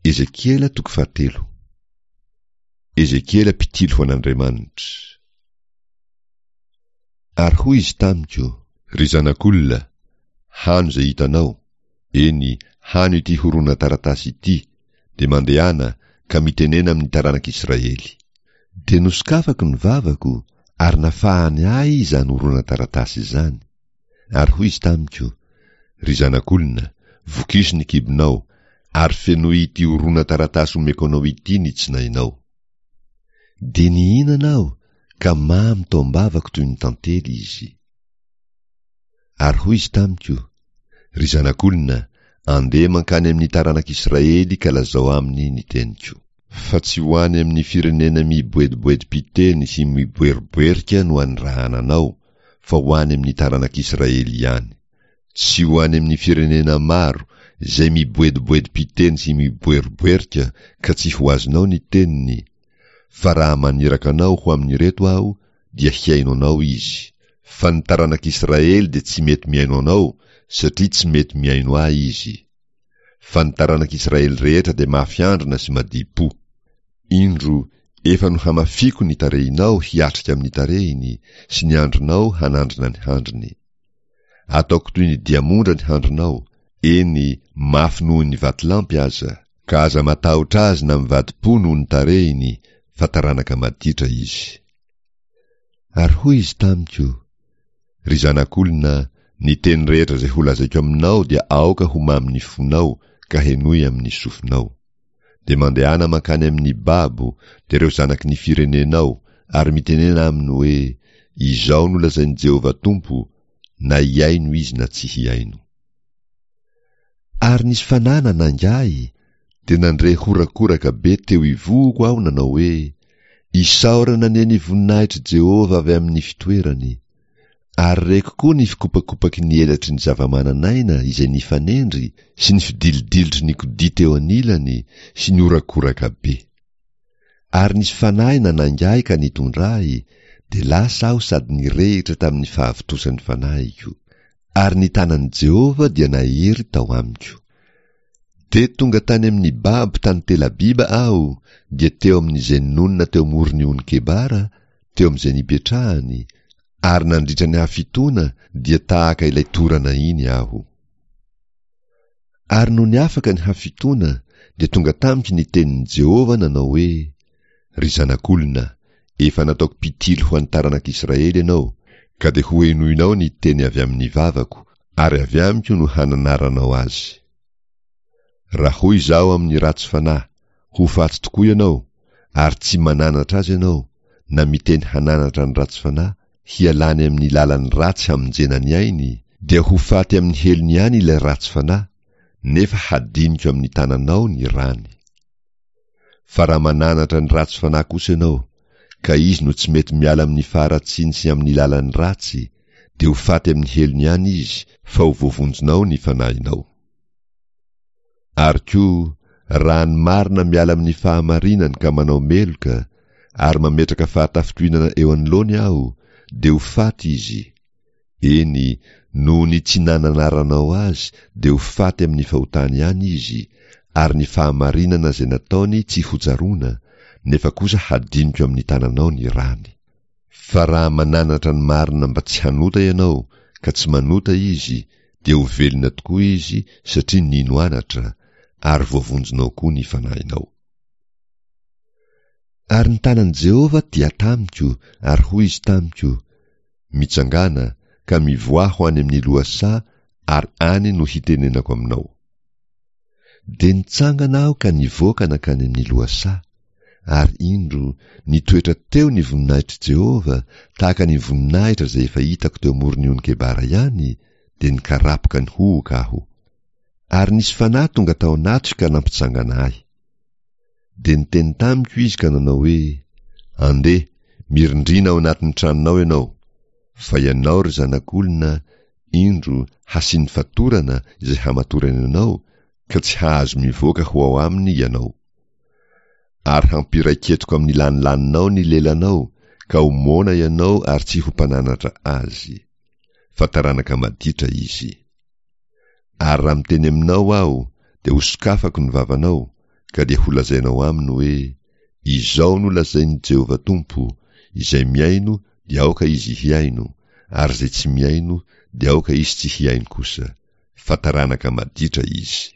Ezekiela toko fahatelo. Ezekiela mpitily ho an'Andriamanitra. Ary hoy izy tamiko, Ry zanak'olona, hano izay hitanao, eny, hano ity horonan-taratasy ity, dia mandehana ka mitenena amin'ny taranak'Israely. Dia nosokafako ny vavako, ary nafahany ahy izany horonan-taratasy izany. Ary hoy izy tamiko, Ry zanak'olona, vokiso ny kibonao, ary fenoy ity horonan-taratasy omeko anao ity ny tsinainao. Dia nihinana aho, ka mamy tao am-bavako toy ny tantely izy. Ary hoy izy tamiko, Ry zanak'olona, andeha mankany amin'ny taranak'Israely ka lazao aminy ny teniko. Fa tsy ho any amin'ny firenena miboediboedim-piteny sy miboeriboerika no anirahana anao, fa ho any amin'ny taranak'Israely ihany. Tsy ho any amin'ny firenena maro izay miboediboedim-piteny sy miboeriboerika ka tsy ho azonao ny teniny, fa raha maniraka anao ho amin'ireto Aho, dia hihaino anao izy. Fa ny taranak'Israely dia tsy mety mihaino anao, satria tsy mety mihaino Ahy izy. Fa ny taranak'Israely rehetra dia mafy andrina sy madipo. Indro, efa nohamafiko ny tarehinao hiatrika amin'ny tarehiny, sy ny andrinao hanandrina ny handriny. Ataoko toy ny diamondra ny handrinao, eny, mafy noho ny vatolampy aza. Ka aza matahotra azy na mivadi-po noho ny tarehiny, fa taranaka maditra izy. Ary hoy izy tamiko, Ry zanak'olona, ny teny rehetra izay holazaiko aminao dia aoka ho mamin'ny fonao ka henoy amin'ny sofinao. Dia mandehana mankany amin'ny babo, dia ireo zanaky ny firenenao, ary mitenena aminy hoe, Izao no lazain'i Jehovah Tompo, na hihaino izy na tsy hihaino. Ary nisy fanahy nanainga ahy, dia nandre horakoraka be teo ivohoko aho nanao hoe, Isaorana anie ny voninahitr'i Jehovah avy amin'ny fitoerany! Ary reko koa ny fikopakopaky ny elatry ny zava-manan'aina izay nifanendry sy ny fidilidilitry ny kodia teo anilany sy ny horakoraka be. Ary nisy fanahy nanainga ahy ka nitondra ahy, dia lasa aho sady nirehitra tamin'ny fahavontosan'ny fanahiko. Ary ny tanan'i Jehovah dia nahery tao amiko. Dia tonga tany amin'ny babo tany Telabiba aho, dia teo amin'izay nonina teo amoron'ny ony Kebara, teo amin'izay nipetrahany, ary nandritra ny hafitoana dia tahaka ilay torana iny aho. Ary nony afaka ny hafitoana, dia tonga tamiko ny tenin'i Jehovah nanao hoe, Ry zanak'olona, efa nataoko mpitily ho an'ny taranak'Israely ianao, ka dia hohenoinao ny teny avy amin'ny vavako, ary avy amiko no hananaranao azy. Raha hoy izaho amin'ny ratsy fanahy, Ho faty tokoa ianao, ary tsy mananatra azy ianao, na miteny hananatra ny ratsy fanahy, hialany amin'ny lalany ratsy hamonjena ny ainy, dia ho faty amin'ny helony ihany ilay ratsy fanahy, nefa hadiniko amin'ny tananao ny rany. Fa raha mananatra ny ratsy fanahy kosa ianao, ka izy no tsy mety miala amin'ny faharatsiany sy amin'ny lalany ratsy, dia ho faty amin'ny helony ihany izy, fa ho voavonjinao ny fanahinao. Ary koa, raha ny marina miala amin'ny fahamarinany ka manao meloka, ary mametraka fahatafintohinana eo anoloany aho, dia ho faty izy. Eny, noho ny tsy nananaranao azy dia ho faty amin'ny fahotany ihany izy, ary ny fahamarinana izay nataony tsy hotsaroana, nefa kosa hadiniko amin'ny tananao ny rany. Fa raha mananatra ny marina mba tsy hanota ianao, ka tsy manota izy, dia ho velona tokoa izy satria nino anatra, ary voavonjinao koa ny fanahinao. Ary ny tanan'i Jehovah dia tamiko, ary hoy izy tamiko, Mitsangàna, ka mivoaha ho any amin'ny lohasaha, ary any no hitenenako aminao. Dia nitsangana aho ka nivoaka nankany amin'ny lohasaha, ary indro, nitoetra teo ny voninahitr'i Jehovah, tahaka ny voninahitra izay efa hitako teo amoron'ny ony Kebara ihany, dia nikarapoka nihohoka aho. Ary nisy fanahy tonga tao anatiko ka nampitsangana ahy. Dia niteny tamiko izy ka nanao hoe, Andeha, mirindrina ao anatin'ny tranonao ianao, fa ianao, ry zanak'olona, indro, hasiany fatorana izay hamatorany anao, ka tsy hahazo mivoaka ho ao aminy ianao. Ary hampiraiketiko amin'ny lanilaninao ny lelanao, ka ho moana ianao ary tsy ho mpananatra azy. Fa taranaka maditra izy. Ary raha miteny aminao aho, dia hosokafako ny vavanao, Ka dia holazainao aminy hoe, Izao no lazain'i Jehovah Tompo, Izay mihaino dia aoka izy hihaino, ary izay tsy mihaino dia aoka izy tsy hihaino kosa, fa taranaka maditra izy.